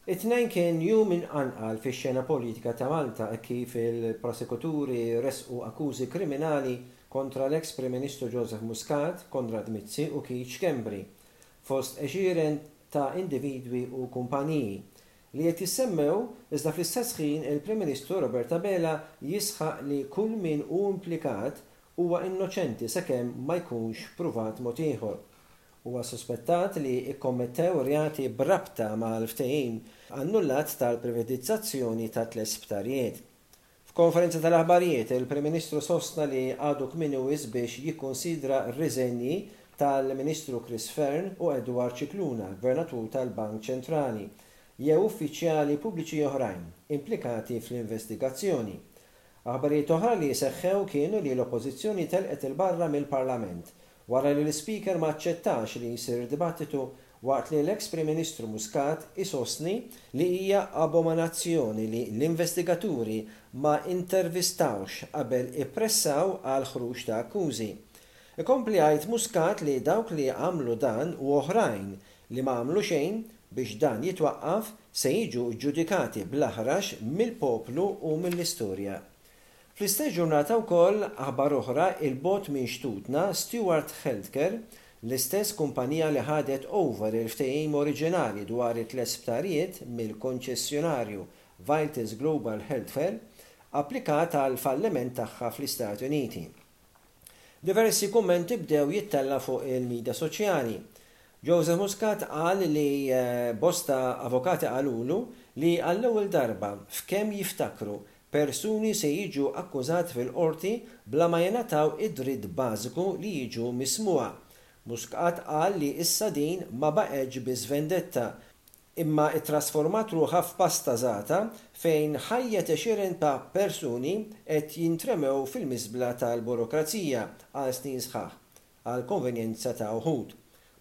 It-Tnejn kien jum imqanqal fix-xena politika ta' Malta hekk kif il-prosekuturi ressqu akkużi kriminali kontra l-eks Prim Ministru Joseph Muscat, Konrad Mizzi u Keith Schembri, fost għexieren ta' individwi u kumpaniji li qed jissemmew iżda fl-istess ħin il-Prim Ministru Robert Abela jisħaq li kull min hu implikat huwa innoċenti sakemm ma jkunx pruvat mod ieħor. Huwa suspettat li kkommettew reati b'rabta mal-ftehim annullat tal-privatizzazzjoni ta' tliet sptarijiet. F'konferenza tal-aħbarijiet, il-Prim Ministru sostna li għadu kmieni wisq biex jikkunsidra r-riżenji tal-Ministru Chris Fearne u Edward Scicluna, Gvernatur tal-Bank Ċentrali, jew uffiċjali pubbliċi oħrajn implikati fl-investigazzjoni. Aħbarijiet oħra li seħħew kienu li l-Oppożizzjoni telqet 'il barra mill-Parlament wara li l-Ispeaker ma aċċettax li jsir dibattitu waqt li l-eks Prim Ministru Muscat isostni li hija abominazzjoni li l-investigaturi ma intervistawhx qabel ippressaw għall-ħruġ ta' akkużi. Ikompli jgħid Muscat li dawk li għamlu dan u oħrajn li ma għamlu xejn biex dan jitwaqqaf se jiġu ġġudikati bl-aħrax mill-poplu u mill-istorja. Fl-istess ġurnata wkoll, aħbar oħra 'il bogħod minn xtutna, Steward Healthcare, l-istess kumpanija li ħadet over il-ftehim oriġinali dwar it-tliet sptarijiet mill-konċessjonarju Vitas Global Healthcare, applikat għall-falliment tagħha fl-Istati Uniti. Diversi kummenti bdew jittella' fuq il-midja soċjali. Joseph Muscat qal li bosta avukati qalulu li għall-ewwel darba f'kemm jiftakru, persuni se jiġu akkużati fil-Qorti bla ma jingħataw id-dritt bażiku li jiġu mismugħa. Muscat qal li issa din ma baqgħetx biss vendetta, imma ttrasformat ruħha f'pasta żgħata fejn ħajjet għexieren ta' persuni qed jintremew fil-miżbla tal-burokrazija għal snin sħaħ, għall-konvenjenza ta' uħud.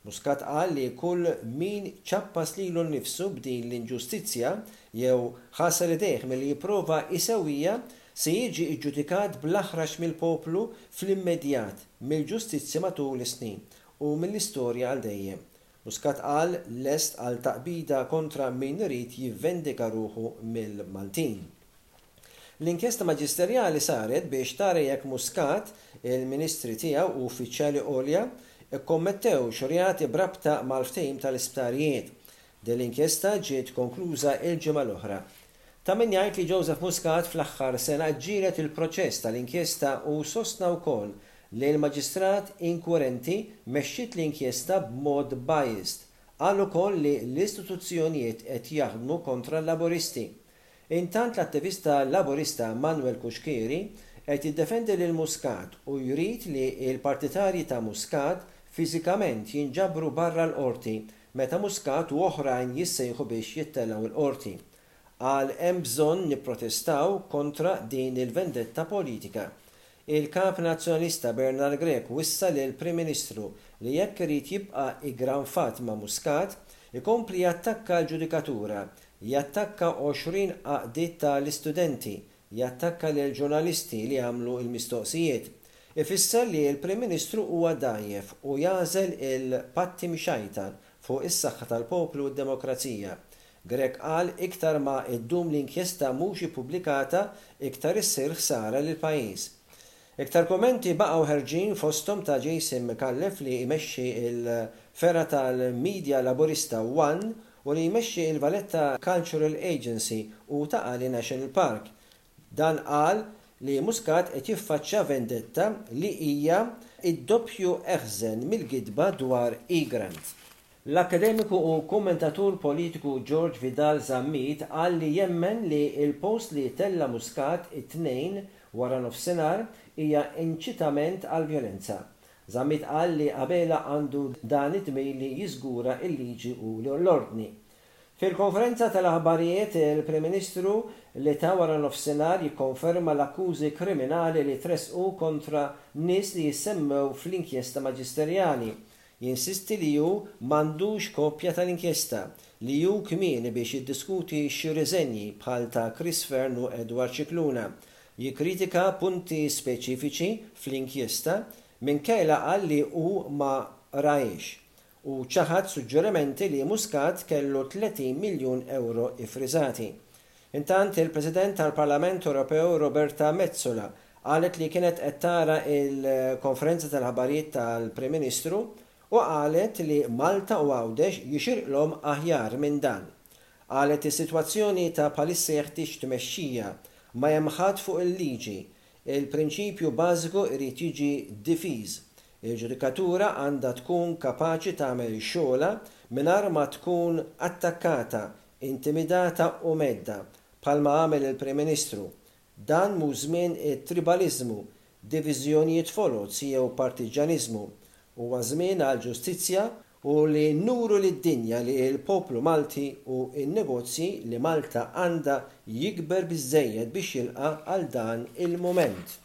Muscat qal li kull min ċappas lilu nnifsu b'din l-inġustizzja jew ħasel idejh milli jipprova jsewwiha se jiġi ġġudikat bl-aħrax mill-poplu fl-immedjat, mill-ġustizzja matul is-snin u mill-istorja għal dejjem. Muscat qal lest għal taqbida kontra min irid jivvendika ruħu mill-Maltin. L-inkjesta maġisterjali saret biex tara jekk Muscat, il-ministri tiegħu u uffiċjali għolja kkommettewx reati b'rabta mal-ftehim tal-isptarijiet. Din l-inkjesta ġiet konkluża l-ġimgħa l-oħra. Ta' min jgħid li Joseph Muscat fl-aħħar sena ġġieled il-proċess tal-inkjesta u sostna wkoll li l-Maġistrat inkwirenti mexxiet l-inkjesta b'mod biased. Qal ukoll li l-istituzzjonijiet qed jaħdmu kontra l-Laburisti. Intant l-attivista Laburista Manuel Cuschieri qed jiddefendi lil Muscat u jrid li l-partitarji ta' Muscat fiżikament jinġabru barra l-Qorti meta Muscat u oħrajn jissejħu biex jittellgħu l-Qorti. Qal hemm bżonn nipprotestaw kontra din il-vendetta politika. Il-Kap Nazzjonalista Bernard Grech wissa lill-Prim Ministru li jekk irid jibqa' iggranfat ma' Muscat, ikompli jattakka l-ġudikatura, jattakka 20 għaqdiet ta' l-istudenti, jattakka lill-ġurnalisti li għamlu l-mistoqsijiet. Ifisser li l-Prim Ministru huwa dgħajjef u jagħżel il-patti mxajtan fuq is-saħħa tal-poplu u d-demokrazija. Grech qal iktar ma ddum l-inkjesta mhux ippubblikata iktar issir ħsara lill-pajjiż. Iktar kummenti baqgħu ħerġin fosthom ta' Jason Micallef li jmexxi l-fergħa tal-media Laburista one u li jmexxi l-Valletta Cultural Agency u Ta' Qali National Park. Dan qal li Muscat qed jiffaċċja vendetta li hija d-doppju eħżen mill-gidba dwar Egrant. L-akkademiku u kummentatur politiku George Vidal Zammit qal li jemmen li l-post li tella' Muscat it-Tnejn waranofsinhar hija inċitament għall-vjolenza. Zammit qal li Abela għandu dan id-dmir li jiżgura l-liġi u l-ordni. Fil-konferenza tal-aħbarijiet, il-Prim Ministru li ta waranofsinhar jikkonferma l-akkużi kriminali li tressqu kontra nies li jissemmew fl-inkjesta maġisterjali. Jinsisti li hu m'għandux kopja tal-inkjesta, li hu kmieni biex jiddiskuti xi riżenji bħal ta' Chris Fearne u Edward Scicluna. Jikkritika punti speċifiċi fl-inkjesta minkejja qal li hu ma qrahiex. u ċaħad suġġerimenti li Muscat kellu 30 miljun ewro iffriżati. Intant, il-President tal-Parlament Ewropew Roberta Metsola qalet li kienet qed tara l-konferenza tal-aħbarijiet tal-Prim Ministru u qalet li Malta u Għawdex jixirqlhom aħjar minn dan. Qalet is-sitwazzjoni ta' bħalissa jeħtieġ tmexxija, ma hemm ħadd fuq il-liġi, il-prinċipju bażiku jrid jiġi difiż, il-ġudikatura għandha tkun kapaċi tagħmel xogħolha mingħajr ma tkun attakkata, intimidata u mhedda, bħalma għamel il-Prim Ministru. Dan mhux żmien it-tribaliżmu, diviżjonijiet foloz jew partiġġjaniżmu. Huwa żmien għall-ġustizzja u li nuru lid-dinja li l-poplu Malti u n-negozji li Malta għandha jikber biżżejjed biex jilqa' għal dan il-mument.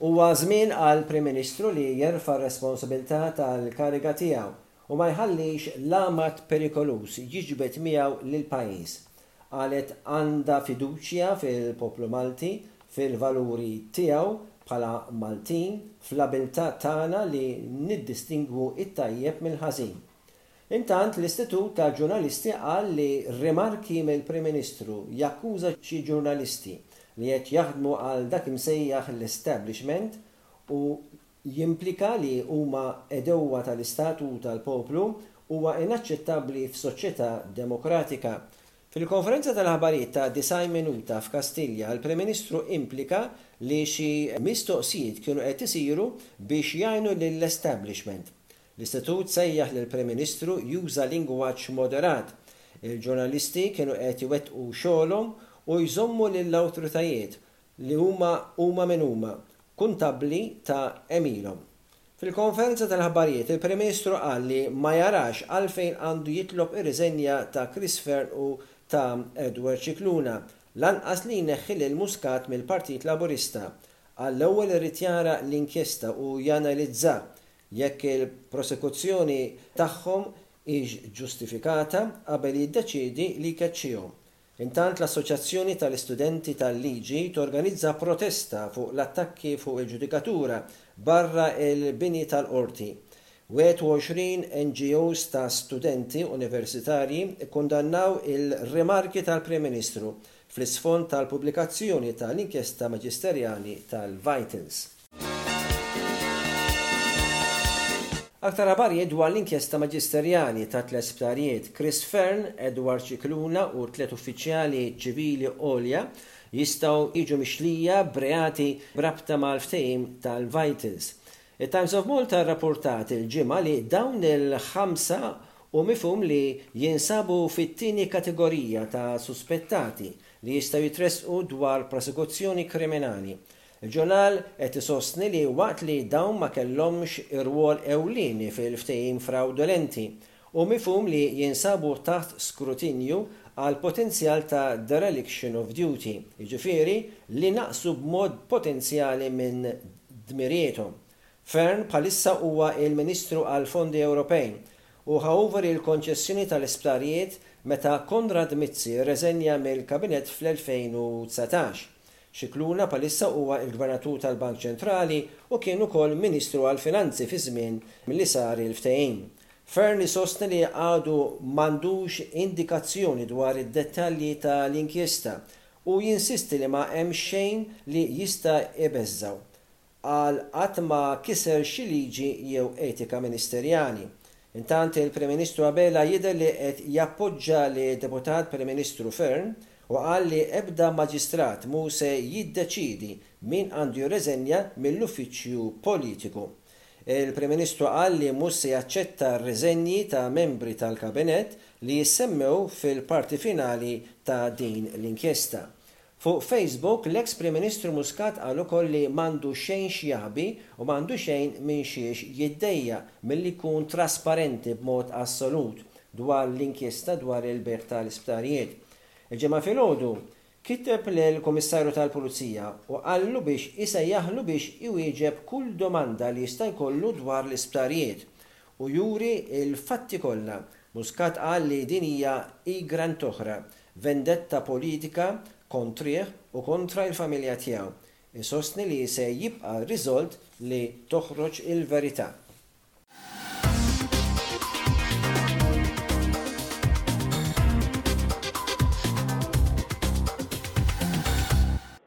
Huwa żmien għall-Prim Ministru li jerfa' r-responsabilità tal-kariga tiegħu u ma jħallix l-għamad perikoluż jiġbed miegħu lill-pajjiż. Qalet għandha fiduċja fil-poplu Malti, fil-valuri tiegħu bħala Maltin, fl-abiltà tagħna li niddistingwu t-tajjeb mill-ħażin. Intant, l-Istitut tal-Ġurnalisti qal li rimarki mill-Prim Ministru jakkuża xi ġurnalisti li qed jaħdmu għal dak imsejjaħ l-establishment u jimplika li huma għedewwa tal-Istat u tal-poplu huwa inaċċettabbli f'soċjetà demokratika. Fil-konferenza tal-aħbarijiet ta' 90 minuta f'Kastilja, l-Prim Ministru implika li xi mistoqsijiet kienu qed isiru biex jgħinu lill-establishment. L-Istitut sejjaħ lill-Prim Ministru juża lingwaġġ moderat. Il-ġurnalisti kienu qed iwettqu xogħolhom u jżommu lill-awtoritajiet li huma huma min huma, kuntabbli ta' għemilhom. Fil-konferenza tal-aħbarijiet, il-Prim Ministru qal li ma jarax għalfejn għandu jitlob ir-riżenja ta' Chris Fearne u ta' Edward Scicluna, lanqas li jneħħi lil Muscat mill-Partit Laburista. Qal l-ewwel irid jara l-inkjesta u janalizza jekk il-prosekuzzjoni tagħhom hix ġustifikata qabel jiddeċiedi li jkeċċihom. Intant l-Assoċjazzjoni tal-Istudenti tal-Liġi torganizza protesta fuq l-attakki fuq il-ġudikatura barra l-bini tal-Qorti. 21 NGOs ta' studenti universitarji kkundannaw il-rimarki tal-Prim Ministru fl-isfond tal-pubblikazzjoni tal-inkjesta maġisterjali tal-Vitals. Aktar aħbarijiet dwar l-inkjesta maġisterjali ta' tliet sptarijiet, Chris Fearne, Edward Scicluna u tliet uffiċjali ċivili għolja jistgħu jiġu mixlija b'reati b'rabta mal-ftehim tal-Vitals. It-Times of Malta rrappurtat il-Ġimgħa li dawn il-ħamsa hu mifhum li jinsabu fit-tieni kategorija ta' suspettati li jistgħu jitressqu dwar prosekuzzjoni kriminali. Il-ġurnal qed isostni li waqt li dawn ma kellhomx irwol ewlieni fil-ftehim frawdolenti, hu mifhum li jinsabu taħt skrutinju għal potenzjal ta' dereliction of duty, jiġifieri li naqsu b'mod potenzjali minn dmirijiethom. Fearne bħalissa huwa il-Ministru għall-Fondi Ewropej u ħa over il-konċessjoni tal-isptarijiet meta Konrad Mizzi rreżenja mill-Kabinett fl-2019. Scicluna bħalissa huwa l-Gvernatur tal-Bank Ċentrali u kien ukoll Ministru għall-Finanzi fiż-żmien li sar il-ftehim. Fearne isostni li għadu m'għandux indikazzjoni dwar id-dettalji ta' l-inkjesta u jinsisti li ma hemm xejn li jista' jbeżżgħu. Qal qatt ma kiser xi liġi jew etika ministerjali. Intant il-Prim Ministru Abela jidher li qed jappoġġa lid-Deputat Prim Ministru Fearne u qal li ebda maġistrat mhu se jiddeċiedi min għandu jirreżenja mill-uffiċċju politiku. Il-Prim Ministru qal li mhux se jaċċetta r-riżenji ta' membri tal-Kabinett li jissemmew fil-parti finali ta' din l-inkjesta. Fuq Facebook, l-eks Prim Ministru Muscat qal ukoll li m'għandu xejn x'jaħbi u m'għandu xejn minn xiex jiddejjaq milli jkun trasparenti b'mod assolut dwar l-inkjesta dwar il-bejgħ tal-isptarijiet. Il-Ġimgħa filgħodu, kiteb lill-Kummissarju tal-Pulizija u qallu biex isejjaħlu biex iwieġeb kull domanda li jista' jkollu dwar l-isptarijiet u juri l-fatti kollha. Muscat qal li din hija igrant oħra vendetta politika kontrih u kontra l-familja tiegħu. Isostni li se jibqa' riżolt li toħroġ il-verità.